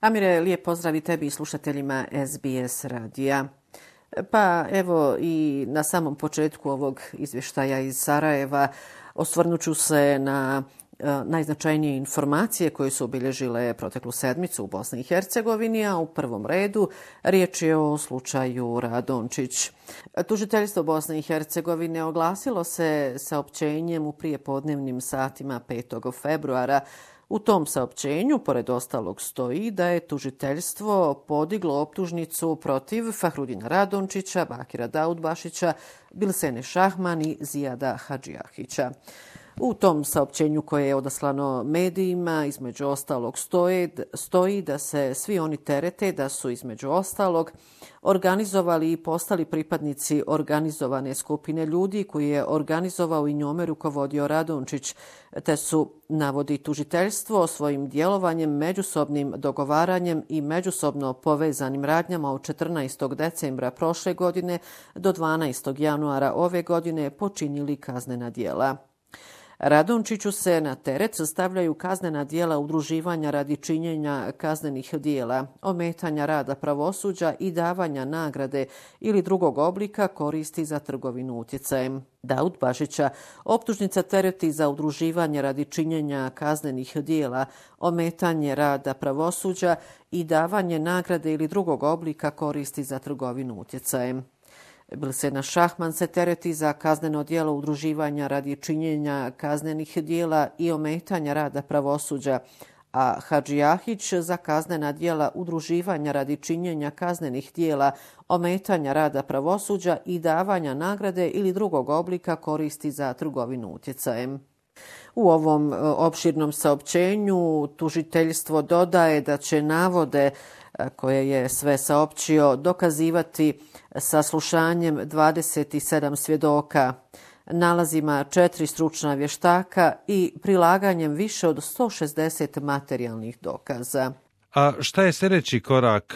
Amire, lijep pozdrav i tebi i slušateljima SBS radija. Pa evo i na samom početku ovog izvještaja iz Sarajeva osvrnut ću se na najznačajnije informacije koje su obilježile proteklu sedmicu u Bosni i Hercegovini, a u prvom redu riječ je o slučaju Radončić. Tužiteljstvo Bosne i Hercegovine oglasilo se saopćenjem u prijepodnevnim satima 5. februara. U tom saopćenju, pored ostalog, stoji da je tužiteljstvo podiglo optužnicu protiv Fahrudina Radončića, Bakira Daudbašića, Bilsene Šahman i Zijada Hadžijahića. U tom saopćenju koje je odaslano medijima, između ostalog, stoji da se svi oni terete da su, između ostalog, organizovali i postali pripadnici organizovane skupine ljudi koji je organizovao i njome rukovodio Radončić, te su, navodi tužiteljstvo, svojim djelovanjem, međusobnim dogovaranjem i međusobno povezanim radnjama od 14. decembra prošle godine do 12. januara ove godine počinili kaznena djela. Radončiću se na teret stavljaju kaznena djela udruživanja radi činjenja kaznenih djela, ometanja rada pravosuđa i davanja nagrade ili drugog oblika koristi za trgovinu utjecajem. Daudbašića optužnica tereti za udruživanje radi činjenja kaznenih djela, ometanje rada pravosuđa i davanje nagrade ili drugog oblika koristi za trgovinu utjecajem. Bilsena Šahman se tereti za kazneno djelo udruživanja radi činjenja kaznenih djela i ometanja rada pravosuđa, a Hadžijahić za kaznena djela udruživanja radi činjenja kaznenih djela, ometanja rada pravosuđa i davanja nagrade ili drugog oblika koristi za trgovinu utjecajem. U ovom opširnom saopćenju tužiteljstvo dodaje da će navode koje je sve saopćio dokazivati saslušanjem 27 svjedoka, nalazima 4 stručna vještaka i prilaganjem više od 160 materijalnih dokaza. A šta je sljedeći korak?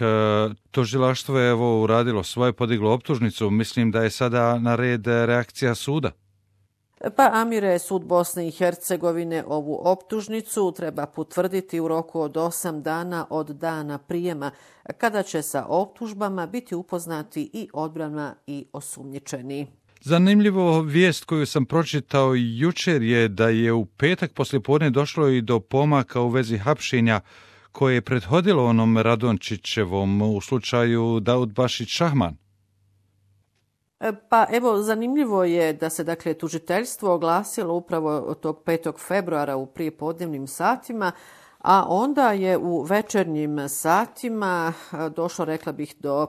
Tužilaštvo je evo uradilo svoje, podiglo optužnicu. Mislim da je sada na red reakcija suda. Pa Amire, sud Bosne i Hercegovine ovu optužnicu treba potvrditi u roku od 8 dana od dana prijema, kada će sa optužbama biti upoznati i odbrana i osumnjičeni. Zanimljivo vijest koju sam pročitao jučer je da je u petak poslijepodne došlo i do pomaka u vezi hapšenja koje je prethodilo onom Radončićevom u slučaju Daudbašić Šahman. Pa evo, zanimljivo je da se dakle tužiteljstvo oglasilo upravo tog 5. februara u prijepodnevnim satima, a onda je u večernjim satima došlo, rekla bih, do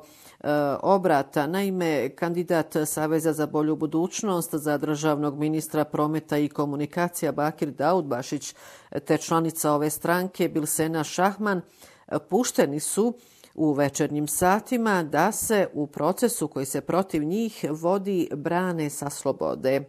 obrata. Naime, kandidat Saveza za bolju budućnost za državnog ministra prometa i komunikacija Bakir Daudbašić te članica ove stranke Bilsena Šahman pušteni su u večernjim satima da se u procesu koji se protiv njih vodi brane sa slobode.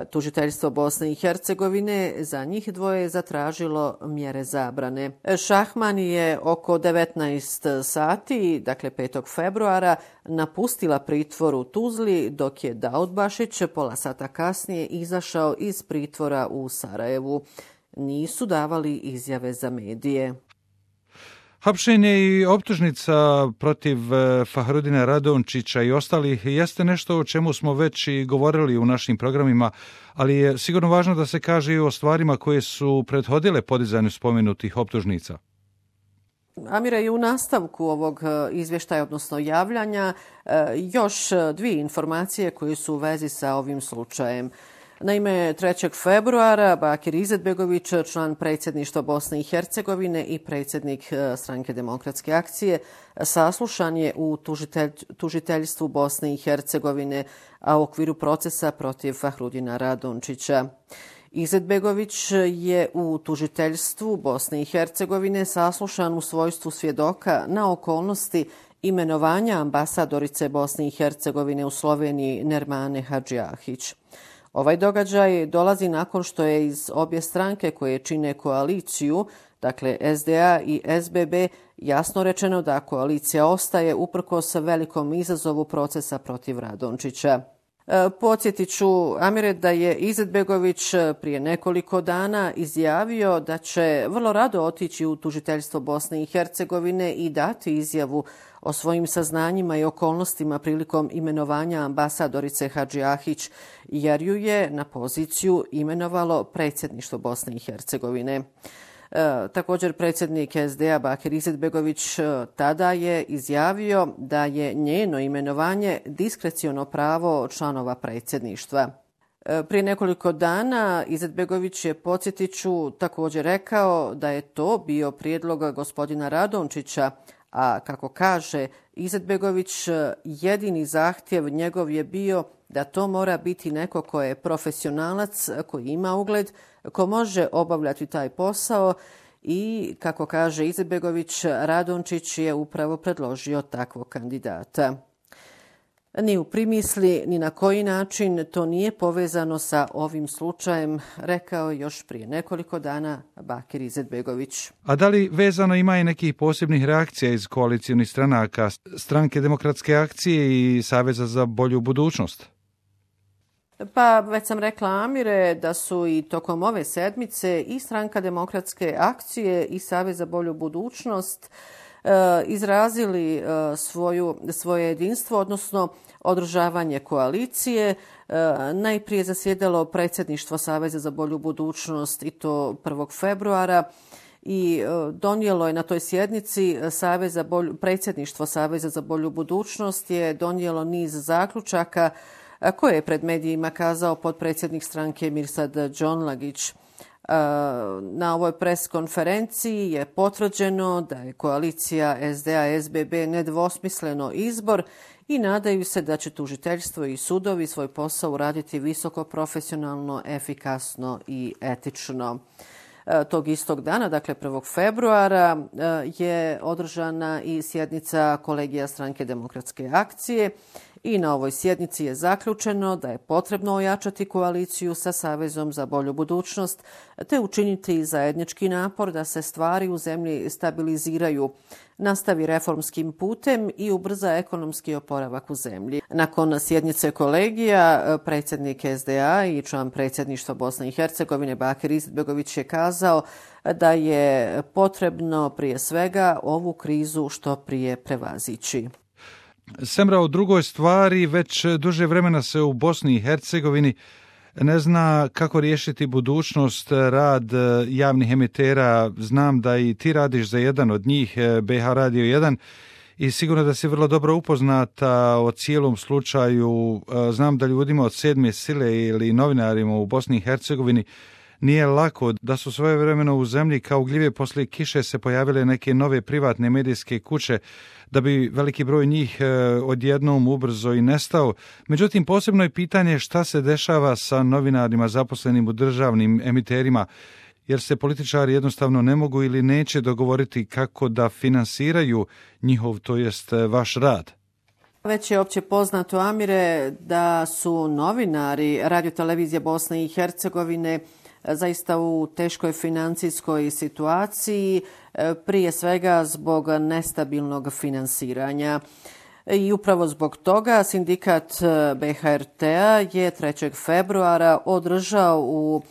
Tužiteljstvo Bosne i Hercegovine za njih dvoje zatražilo mjere zabrane. Šahman je oko 19 sati, dakle 5. februara, napustila pritvor u Tuzli, dok je Daudbašić pola sata kasnije izašao iz pritvora u Sarajevu. Nisu davali izjave za medije. Hapšenje i optužnica protiv Fahrudina Radončića i ostalih jeste nešto o čemu smo već i govorili u našim programima, ali je sigurno važno da se kaže i o stvarima koje su prethodile podizanju spomenutih optužnica. Amira, i u nastavku ovog izvještaja, odnosno javljanja, još dvije informacije koje su u vezi sa ovim slučajem. Naime, 3. februara Bakir Izetbegović, član predsjedništva Bosne i Hercegovine i predsjednik Stranke demokratske akcije, saslušan je u tužiteljstvu Bosne i Hercegovine, a u okviru procesa protiv Fahrudina Radončića. Izetbegović je u tužiteljstvu Bosne i Hercegovine saslušan u svojstvu svjedoka na okolnosti imenovanja ambasadorice Bosne i Hercegovine u Sloveniji Nermane Hadžijahić. Ovaj događaj dolazi nakon što je iz obje stranke koje čine koaliciju, dakle SDA i SBB, jasno rečeno da koalicija ostaje uprkos velikom izazovu procesa protiv Radončića. Podsjetit ću, Amire, da je Izetbegović prije nekoliko dana izjavio da će vrlo rado otići u tužiteljstvo Bosne i Hercegovine i dati izjavu o svojim saznanjima i okolnostima prilikom imenovanja ambasadorice Hadži Ahić, jer ju je na poziciju imenovalo predsjedništvo Bosne i Hercegovine. Također predsjednik SDA Bakir Izetbegović tada je izjavio da je njeno imenovanje diskreciono pravo članova predsjedništva. Prije nekoliko dana Izetbegović je, podsjetit ću, također rekao da je to bio prijedlog gospodina Radončića, a kako kaže Izetbegović, jedini zahtjev njegov je bio da to mora biti neko ko je profesionalac, koji ima ugled, ko može obavljati taj posao i, kako kaže Izetbegović, Radončić je upravo predložio takvog kandidata. Ni u primisli, ni na koji način to nije povezano sa ovim slučajem, rekao je još prije nekoliko dana Bakir Izetbegović. A da li vezano ima i nekih posebnih reakcija iz koalicijnih stranaka, Stranke demokratske akcije i Saveza za bolju budućnost? Pa već sam rekla, Amire, da su i tokom ove sedmice i Stranka demokratske akcije i Savez za bolju budućnost izrazili svoje jedinstvo, odnosno održavanje koalicije. Najprije zasjedalo predsjedništvo Saveza za bolju budućnost i to 1. februara i donijelo je na toj sjednici predsjedništvo Saveza za bolju budućnost je donijelo niz zaključaka koje je pred medijima kazao potpredsjednik stranke Mirsad Džonlagić. Na ovoj pres konferenciji je potvrđeno da je koalicija SDA-SBB nedvosmisleno izbor i nadaju se da će tužiteljstvo i sudovi svoj posao uraditi visoko profesionalno, efikasno i etično. Tog istog dana, dakle 1. februara, je održana i sjednica kolegija Stranke demokratske akcije i na ovoj sjednici je zaključeno da je potrebno ojačati koaliciju sa Savezom za bolju budućnost te učiniti zajednički napor da se stvari u zemlji stabiliziraju, nastavi reformskim putem i ubrza ekonomski oporavak u zemlji. Nakon sjednice kolegija, predsjednik SDA i član predsjedništva Bosne i Hercegovine Bakir Izetbegović je kazao da je potrebno prije svega ovu krizu što prije prevazići. Semra, o drugoj stvari, već duže vremena se u Bosni i Hercegovini ne zna kako riješiti budućnost, rad javnih emitera. Znam da i ti radiš za jedan od njih, BH Radio 1, i sigurno da si vrlo dobro upoznata o cijelom slučaju. Znam da ljudima od sedme sile ili novinarima u Bosni i Hercegovini nije lako, da su svojevremeno u zemlji kao gljive poslije kiše se pojavile neke nove privatne medijske kuće, da bi veliki broj njih odjednom ubrzo i nestao. Međutim, posebno je pitanje šta se dešava sa novinarima zaposlenim u državnim emiterima, jer se političari jednostavno ne mogu ili neće dogovoriti kako da finansiraju njihov, to jest vaš rad. Već je opće poznato, Amire, da su novinari Radiotelevizije Bosne i Hercegovine zaista u teškoj financijskoj situaciji, prije svega zbog nestabilnog finansiranja. I upravo zbog toga sindikat BHRT-a je 3. februara održao u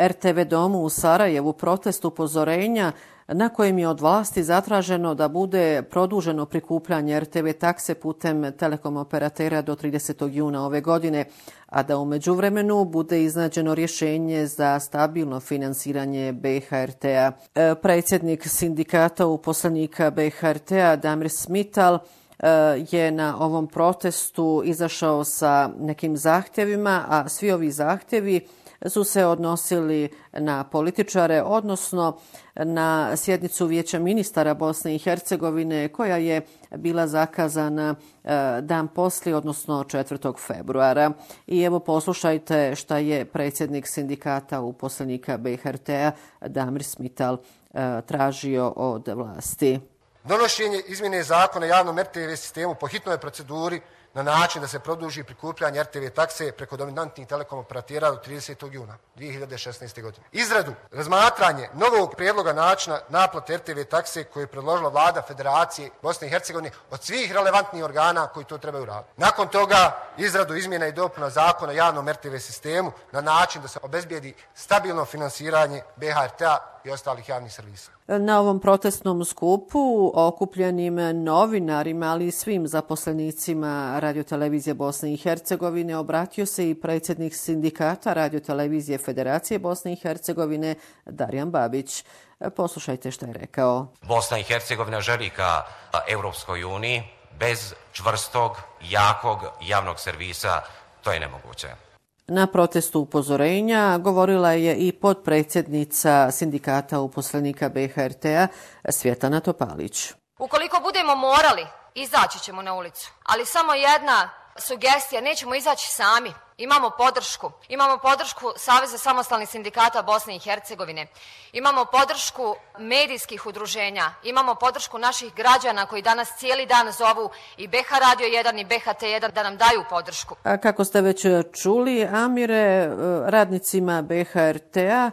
RTV domu u Sarajevu protest upozorenja na kojem je od vlasti zatraženo da bude produženo prikupljanje RTV takse putem telekom operatera do 30. juna ove godine, a da u međuvremenu bude iznađeno rješenje za stabilno finansiranje BHRT-a. Predsjednik sindikata uposlenika BHRT-a Damir Smital je na ovom protestu izašao sa nekim zahtjevima, a svi ovi zahtjevi su se odnosili na političare, odnosno na sjednicu Vijeća ministara Bosne i Hercegovine koja je bila zakazana dan poslije, odnosno 4. februara. I evo poslušajte šta je predsjednik sindikata uposlenika BHRT-a Damir Smital tražio od vlasti. Donošenje izmjene zakona o javnom RTV sistemu po hitnoj proceduri na način da se produži prikupljanje RTV takse preko dominantnih telekom operatera do 30. juna 2016. godine. Izradu, razmatranje novog prijedloga načina naplate RTV takse koje je predložila Vlada Federacije Bosne i Hercegovine od svih relevantnih organa koji to trebaju raditi. Nakon toga izradu izmjena i dopuna zakona o javnom RTV sistemu na način da se obezbijedi stabilno finansiranje BHRT-a i ostalih javnih servisa. Na ovom protestnom skupu okupljenim novinarima, ali i svim zaposlenicima Radiotelevizije Bosne i Hercegovine obratio se i predsjednik sindikata Radiotelevizije Federacije Bosne i Hercegovine Darjan Babić. Poslušajte što je rekao. Bosna i Hercegovina želi ka Europskoj uniji. Bez čvrstog, jakog javnog servisa to je nemoguće. Na protestu upozorenja govorila je i potpredsjednica sindikata uposlenika BHRT-a Svjetlana Topalić. Ukoliko budemo morali, izaći ćemo na ulicu, ali samo jedna sugestija, nećemo izaći sami. Imamo podršku Saveza samostalnih sindikata Bosne i Hercegovine, imamo podršku medijskih udruženja, imamo podršku naših građana koji danas cijeli dan zovu i BH Radio 1 i BHT1 da nam daju podršku. A kako ste već čuli, Amire, radnicima BHRT-a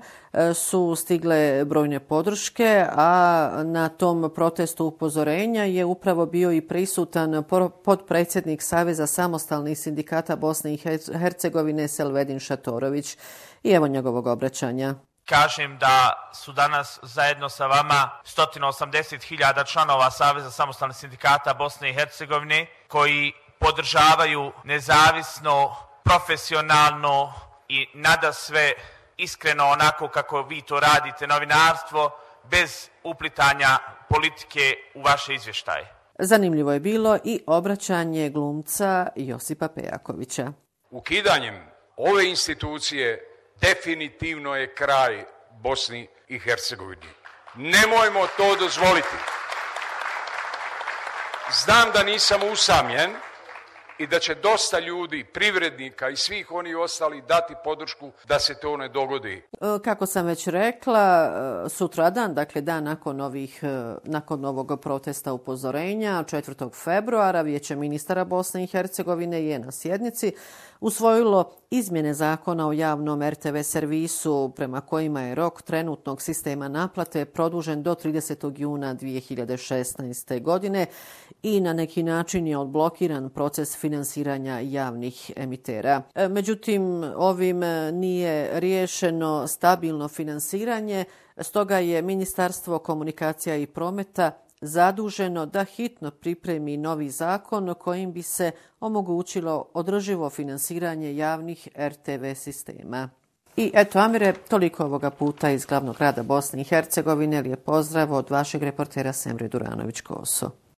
su stigle brojne podrške, a na tom protestu upozorenja je upravo bio i prisutan potpredsjednik Saveza samostalnih sindikata Bosne i Hercegovine Selvedin Šatorović. I evo njegovog obraćanja. Kažem da su danas zajedno sa vama 180.000 članova Saveza samostalnih sindikata Bosne i Hercegovine koji podržavaju nezavisno, profesionalno i nadasve iskreno onako kako vi to radite novinarstvo, bez uplitanja politike u vaše izvještaje. Zanimljivo je bilo i obraćanje glumca Josipa Pejakovića. Ukidanjem ove institucije definitivno je kraj Bosni i Hercegovini. Nemojmo to dozvoliti. Znam da nisam usamljen i da će dosta ljudi, privrednika i svih onih ostali dati podršku da se to ne dogodi. Kako sam već rekla, sutradan, dakle dan nakon ovog protesta upozorenja, 4. februara, Vijeće ministara Bosne i Hercegovine je na sjednici usvojilo izmjene zakona o javnom RTV servisu prema kojima je rok trenutnog sistema naplate produžen do 30. juna 2016. godine i na neki način je odblokiran proces finansiranja javnih emitera. Međutim, ovim nije riješeno stabilno finansiranje, stoga je Ministarstvo komunikacija i prometa zaduženo da hitno pripremi novi zakon kojim bi se omogućilo održivo finansiranje javnih RTV sistema. I eto, Amire, toliko ovoga puta iz glavnog grada Bosne i Hercegovine. Lijep pozdrav od vašeg reportera Semre Duranović-Koso.